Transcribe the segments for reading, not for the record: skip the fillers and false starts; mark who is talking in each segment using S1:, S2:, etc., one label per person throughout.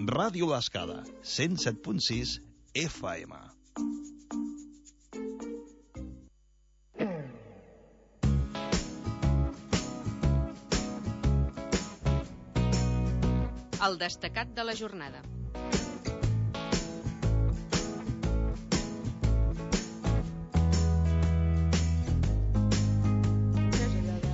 S1: Ràdio L'Escala, 107.6 FM.
S2: El destacat de la jornada.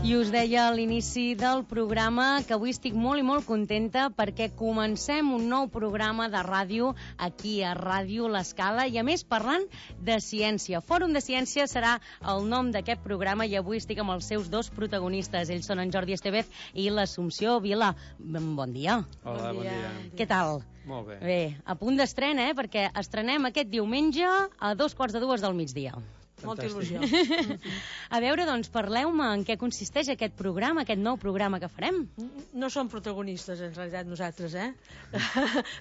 S3: I us deia a l'inici del programa que avui estic molt i molt contenta perquè comencem un nou programa de ràdio aquí a Ràdio L'Escala i a més parlant de ciència. Fòrum de Ciència serà el nom d'aquest programa i avui estic amb els seus dos protagonistes. Ells són en Jordi Estevez i l'Assumpció Vila. Bon dia.
S4: Hola, bon dia.
S3: Què tal?
S4: Molt bé.
S3: Bé, a punt d'estrena, perquè estrenem aquest diumenge a 2:45 del migdia.
S5: Molta il·lusió.
S3: A veure, doncs, parleu-me en què consisteix aquest programa, aquest nou programa que farem.
S5: No som protagonistes, en realitat, nosaltres,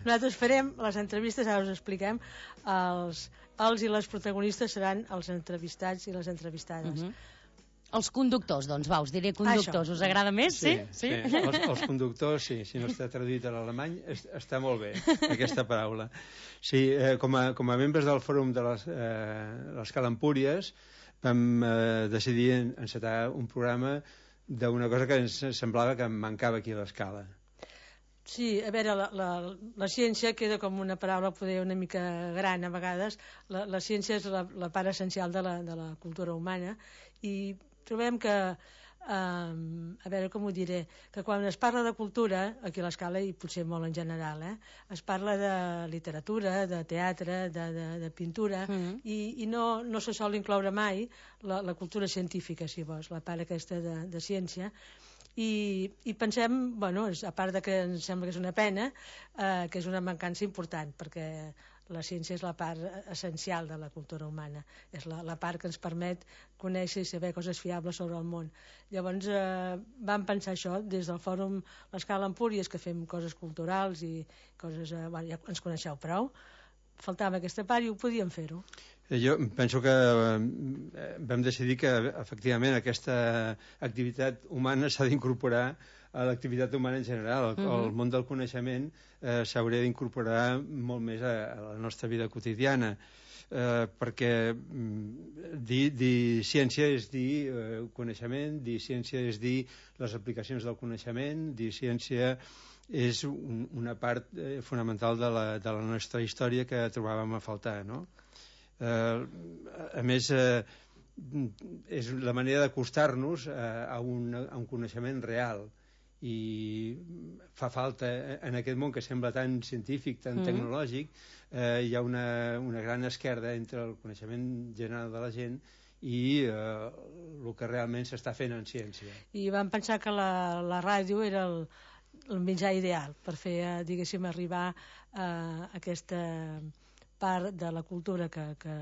S5: Nosaltres farem les entrevistes, ara us expliquem, els i les protagonistes seran els entrevistats i les entrevistades.
S3: Els conductors, doncs, us diré conductors. Us agrada més, sí?
S4: Sí. Els conductors, sí. Si no està traduït a l'alemany, està molt bé, aquesta paraula. Sí, com a membres del Fòrum de l'Escala Empúries, vam decidir encetar un programa d'una cosa que ens semblava que mancava aquí a l'Escala.
S5: Sí, a veure, la ciència queda com una paraula poder una mica gran a vegades. La ciència és la part essencial de la cultura humana i trobem que, a veure com ho diré, que quan es parla de cultura, aquí a l'Escala i potser molt en general, es parla de literatura, de teatre, de pintura, i no se sol incloure mai la cultura científica, si vols, la part aquesta de ciència. I pensem, bueno, a part de que ens sembla que és una pena, que és una mancança important, perquè la ciència és la part essencial de la cultura humana, és la part que ens permet conèixer i saber coses fiables sobre el món. Llavors vam pensar això des del Fòrum L'Escala Empúries, que fem coses culturals i coses, bueno, ja ens coneixeu prou, faltava aquesta part i ho podíem fer-ho.
S4: Jo penso que vam decidir que efectivament aquesta activitat humana s'ha d'incorporar a l'activitat humana en general. El món del coneixement s'hauria d'incorporar molt més a la nostra vida quotidiana, perquè dir ciència és dir coneixement, dir ciència és dir les aplicacions del coneixement, dir ciència és una part fonamental de la nostra història que trobàvem a faltar, no? A més, és la manera d'acostar-nos a un coneixement real, i fa falta en aquest món que sembla tan científic, tan tecnològic, hi ha una gran esquerda entre el coneixement general de la gent i el que realment s'està fent en ciència.
S5: I vam pensar que la ràdio era el mitjà ideal per fer, diguéssim, arribar a aquesta part de la cultura que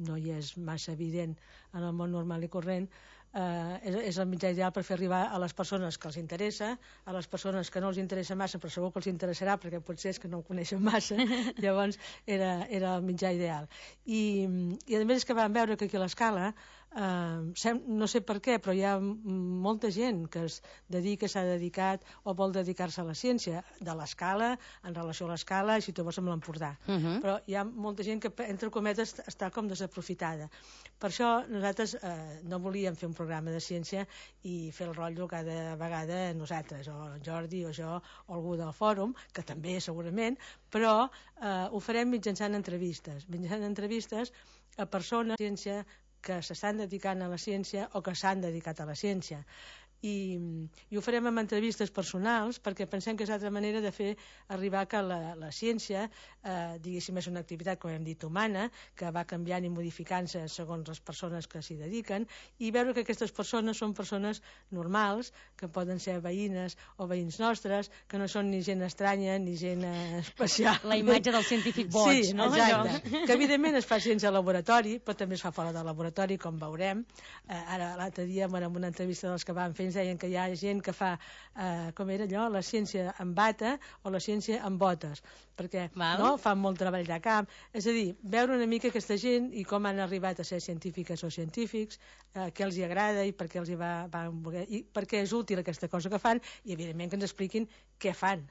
S5: no hi és massa evident en el món normal i corrent. És el mitjà ideal per fer arribar a les persones que els interessa, a les persones que no els interessa massa però segur que els interessarà perquè potser és que no ho coneixen massa. Llavors era el mitjà ideal i a més és que vam veure que aquí a l'Escala no sé per què però hi ha molta gent que es dedica, s'ha dedicat o vol dedicar-se a la ciència de l'Escala, en relació a l'Escala i si tu vols amb l'Empordà, però hi ha molta gent que entre cometes està com desaprofitada. Per això nosaltres no volíem fer un programa de ciència i fer el rotllo cada vegada nosaltres, o Jordi o jo o algú del fòrum, que també segurament, però ho farem mitjançant entrevistes a persones de ciència que s'estan dedicant a la ciència o que s'han dedicat a la ciència. I ho farem amb entrevistes personals perquè pensem que és l'altra manera de fer arribar que la ciència, diguéssim, és una activitat, com hem dit, humana, que va canviant i modificant-se segons les persones que s'hi dediquen, i veure que aquestes persones són persones normals, que poden ser veïnes o veïns nostres, que no són ni gent estranya ni gent especial.
S3: La imatge del científic boig,
S5: sí,
S3: no?
S5: Exacte. Que evidentment es fa ciència al laboratori, però també es fa fora del laboratori, com veurem. Ara l'altre dia, en una entrevista dels que van fer, ens deien que hi ha gent que fa, com era allò, la ciència amb bata o la ciència amb botes, perquè no, fan molt treball de camp. És a dir, veure una mica aquesta gent i com han arribat a ser científiques o científics, què els hi agrada i per què els hi van voler, i per què és útil aquesta cosa que fan, i evidentment que ens expliquin què fan.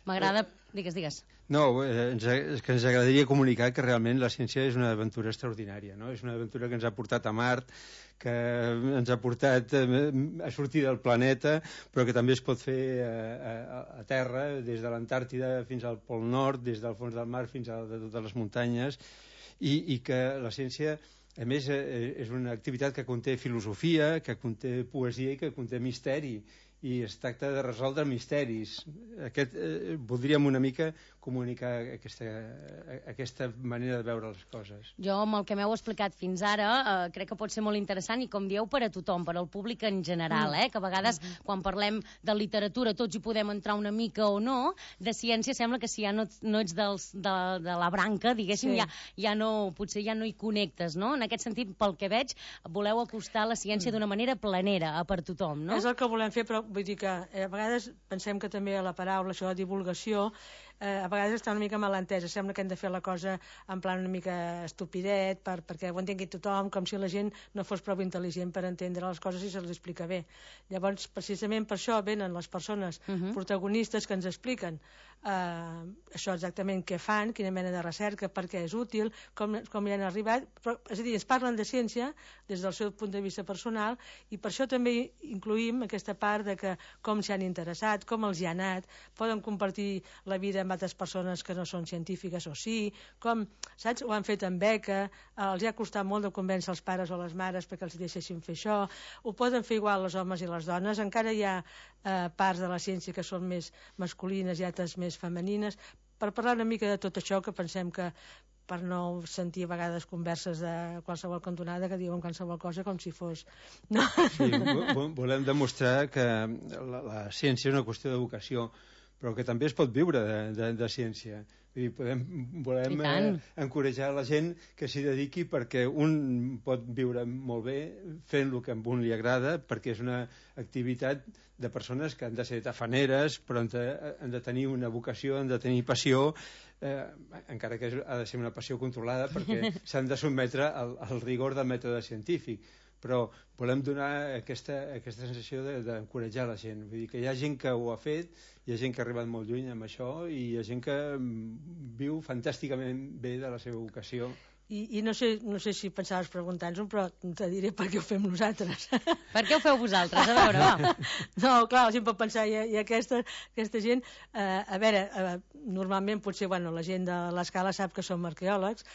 S3: M'agrada... Digues.
S4: No, és que ens agradaria comunicar que realment la ciència és una aventura extraordinària, no? És una aventura que ens ha portat a Mart, que ens ha portat a sortir del planeta, però que també es pot fer a terra, des de l'Antàrtida fins al Pol Nord, des del fons del mar fins a totes les muntanyes, i que la ciència, a més, és una activitat que conté filosofia, que conté poesia i que conté misteri, i es tracta de resoldre misteris. Voldríem una mica comunicar aquesta manera de veure les coses.
S3: Jo, amb el que m'heu explicat fins ara, crec que pot ser molt interessant i, com dieu, per a tothom, per al públic en general, que a vegades, quan parlem de literatura, tots hi podem entrar una mica o no, de ciència sembla que si ja no ets de la branca, diguéssim, potser ja no hi connectes, no? En aquest sentit, pel que veig, voleu acostar la ciència d'una manera planera, per tothom, no?
S5: És el que volem fer, però vull dir que a vegades pensem que també la paraula, això de divulgació, a vegades està una mica mal entesa. Sembla que hem de fer la cosa en plan una mica estupidet perquè ho entengui tothom, com si la gent no fos prou intel·ligent per entendre les coses i se les explica bé. Llavors, precisament per això venen les persones protagonistes que ens expliquen això exactament què fan, quina mena de recerca, per què és útil, com hi han arribat, però, és a dir, ens parlen de ciència des del seu punt de vista personal, i per això també incluïm aquesta part de que com s'hi han interessat, com els hi ha anat, poden compartir la vida amb altres persones que no són científiques o sí, com, saps, ho han fet amb beca, els ha costat molt de convèncer els pares o les mares perquè els deixessin fer això, ho poden fer igual els homes i les dones, encara hi ha parts de la ciència que són més masculines i altres més femenines, per parlar una mica de tot això, que pensem que per no sentir a vegades converses de qualsevol cantonada que diuen qualsevol cosa com si fos... No?
S4: Sí, volem demostrar que la ciència és una qüestió de vocació, però que també es pot viure de ciència. Vull dir, volem encoratjar la gent que s'hi dediqui, perquè un pot viure molt bé fent el que a un li agrada, perquè és una activitat de persones que han de ser tafaneres, però han de tenir una vocació, han de tenir passió, encara que ha de ser una passió controlada, perquè s'han de sotmetre al rigor del mètode científic. Però volem donar aquesta sensació d'encoratjar la gent. Vull dir que hi ha gent que ho ha fet, hi ha gent que ha arribat molt lluny amb això, i hi ha gent que viu fantàsticament bé de la seva vocació.
S5: I no sé si pensaves preguntar-nos-ho, però te diré per què ho fem nosaltres.
S3: Per què ho feu vosaltres? A veure, va.
S5: No, clar, la gent pot pensar, i aquesta gent, a veure, normalment potser, la gent de l'Escala sap que som arqueòlegs,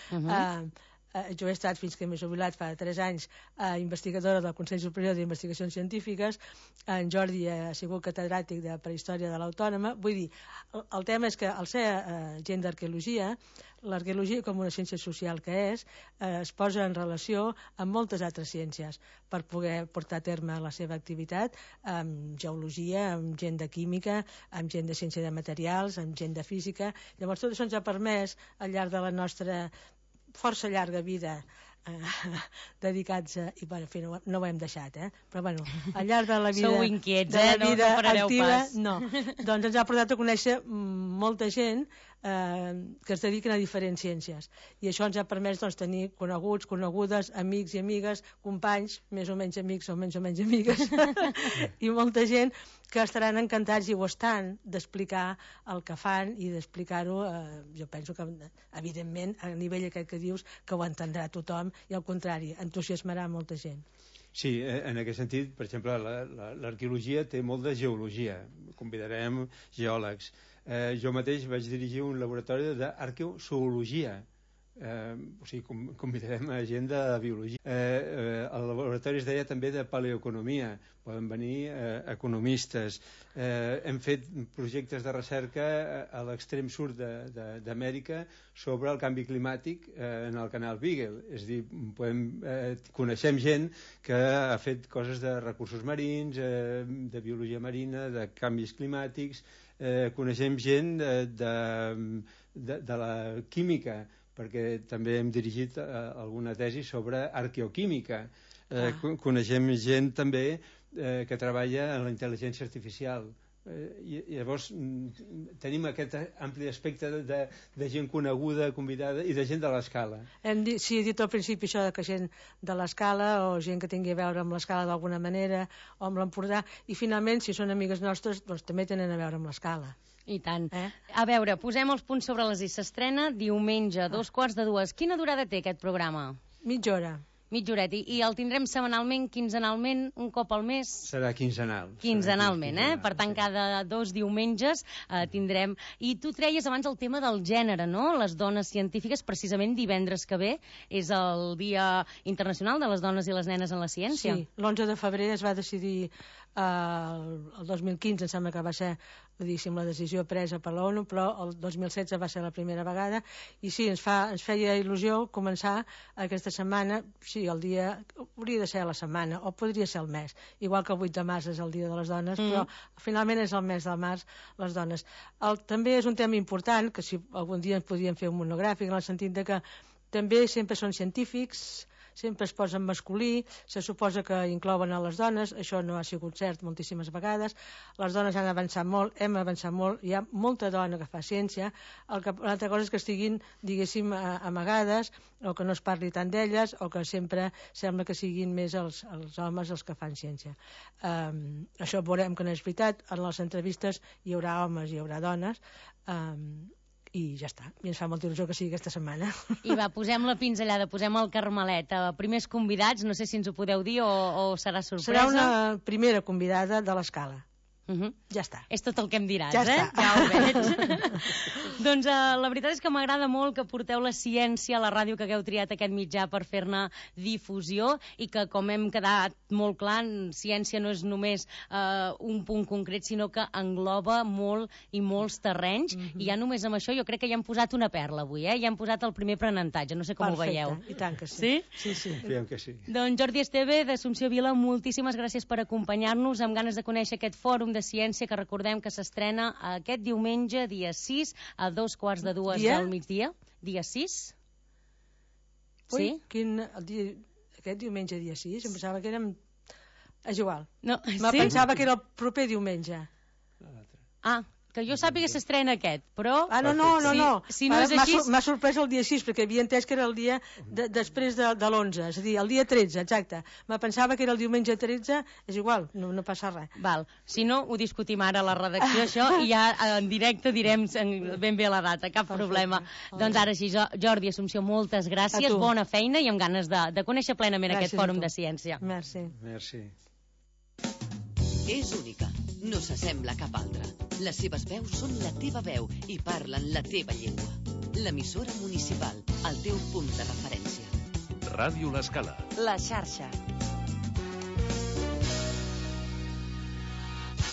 S5: jo he estat, fins que m'he jubilat fa 3 anys, investigadora del Consell Superior d'Investigacions Científiques, en Jordi ha sigut catedràtic de Prehistòria de l'Autònoma. Vull dir, el tema és que al ser gent d'arqueologia, l'arqueologia com una ciència social que és, es posa en relació amb moltes altres ciències per poder portar a terme la seva activitat, amb geologia, amb gent de química, amb gent de ciència de materials, amb gent de física. Llavors tot això ens ha permès, al llarg de la nostra força llarga vida dedicats a... I, en fi, no ho hem deixat, però, al llarg de la vida...
S3: Sou inquiets,
S5: de la vida
S3: no parareu
S5: activa,
S3: pas.
S5: no. Doncs ens ha portat a conèixer molta gent que es dediquen a diferents ciències. I això ens ha permès tenir coneguts, conegudes, amics i amigues, companys, més o menys amics o menys amigues, i molta gent que estaran encantats, i ho estan, d'explicar el que fan i d'explicar-ho. Jo penso que, evidentment, a nivell aquest que dius, que ho entendrà tothom, i al contrari, entusiasmarà molta gent.
S4: Sí, en aquest sentit, per exemple, l'arqueologia té molt de geologia. Convidarem geòlegs. Jo mateix vaig dirigir un laboratori d'arqueozoologia. O sigui, convidarem a gent de biologia. El laboratori es deia també de paleoeconomia, poden venir economistes. Hem fet projectes de recerca a l'extrem sud d'Amèrica sobre el canvi climàtic en el canal Beagle. És a dir, coneixem gent que ha fet coses de recursos marins, de biologia marina, de canvis climàtics, coneixem gent de la química, perquè també hem dirigit alguna tesi sobre arqueoquímica. Coneixem gent també que treballa en la intel·ligència artificial, I llavors tenim aquest ampli espectre de gent coneguda, convidada i de gent de l'escala.
S5: Sí, he dit al principi això que gent de l'escala o gent que tingui a veure amb l'escala d'alguna manera o amb l'Empordà, i finalment si són amigues nostres doncs també tenen a veure amb l'escala.
S3: I tant. A veure, posem els punts sobre les i. S'estrena diumenge, 2:45. Quina durada té aquest programa?
S5: Mitja hora.
S3: Mitja horeta. I el tindrem setmanalment, quinzenalment, un cop al mes?
S4: Serà quinzenal.
S3: Quinzenalment, Per tant, cada 2 diumenges tindrem... I tu treies abans el tema del gènere, no? Les dones científiques, precisament divendres que ve, és el Dia Internacional de les Dones i les Nenes en la Ciència.
S5: Sí, l'11 de febrer es va decidir el 2015, em sembla que va ser la decisió presa per l'ONU, però el 2016 va ser la primera vegada, i sí, ens feia il·lusió començar aquesta setmana. Sí, el dia hauria de ser la setmana, o podria ser el mes, igual que el 8 de març és el Dia de les Dones, però finalment és el mes del març, les dones. També és un tema important, que si algun dia ens podríem fer un monogràfic, en el sentit de que també sempre són científics, sempre es posen masculí, se suposa que inclouen a les dones, això no ha sigut cert moltíssimes vegades. Les dones han avançat molt, hem avançat molt, hi ha molta dona que fa ciència, l'altra cosa és que estiguin, diguéssim, amagades, o que no es parli tant d'elles, o que sempre sembla que siguin més els homes els que fan ciència. Això veurem que no és veritat, en les entrevistes hi haurà homes, hi haurà dones, i ja està, i ens fa molta il·lusió que sigui aquesta setmana.
S3: I va, posem la pinzellada, posem el carmelet. Primers convidats, no sé si ens ho podeu dir o serà sorpresa.
S5: Serà una primera convidada de l'escala. Ja està.
S3: És tot el que em diràs,
S5: ja està.
S3: Ja ho veig. Doncs la veritat és que m'agrada molt que porteu la ciència a la ràdio, que hagueu triat aquest mitjà per fer-ne difusió, i que, com hem quedat molt clar, ciència no és només un punt concret, sinó que engloba molt i molts terrenys, i ja només amb això jo crec que ja hem posat una perla avui, ja hem posat el primer aprenentatge, no sé com ho veieu.
S5: Perfecte, i tant que sí.
S3: Sí?
S5: Sí.
S4: Confiem que sí.
S3: Doncs Jordi Esteve, d'Assumpció Vila, moltíssimes gràcies per acompanyar-nos, amb ganes de conèixer aquest fòrum de ciència, que recordem que s'estrena aquest diumenge, dia 6, a 2:45 del migdia. Dia 6?
S5: Ui, sí? Aquest diumenge, dia 6, em pensava que érem... És igual.
S3: No,
S5: pensava que era el proper diumenge.
S3: Que jo sàpiga s'estrena aquest, però...
S5: No.
S3: Si no és així...
S5: M'ha sorprès el dia 6, perquè havia entès que era el dia després de l'11, és a dir, el dia 13, exacte. Me pensava que era el diumenge 13, és igual, no passa res.
S3: Val, si no, ho discutim ara a la redacció, això, i ja en directe direm ben bé la data, cap problema. Doncs ara sí, Jordi, Assumpció, moltes gràcies, bona feina i amb ganes de conèixer plenament aquest fòrum de ciència.
S5: Merci.
S2: És única, no s'assembla a cap altra. Les seves veus són la teva veu i parlen la teva llengua. L'emissora municipal, el teu punt de referència.
S6: Ràdio L'Escala.
S2: La xarxa.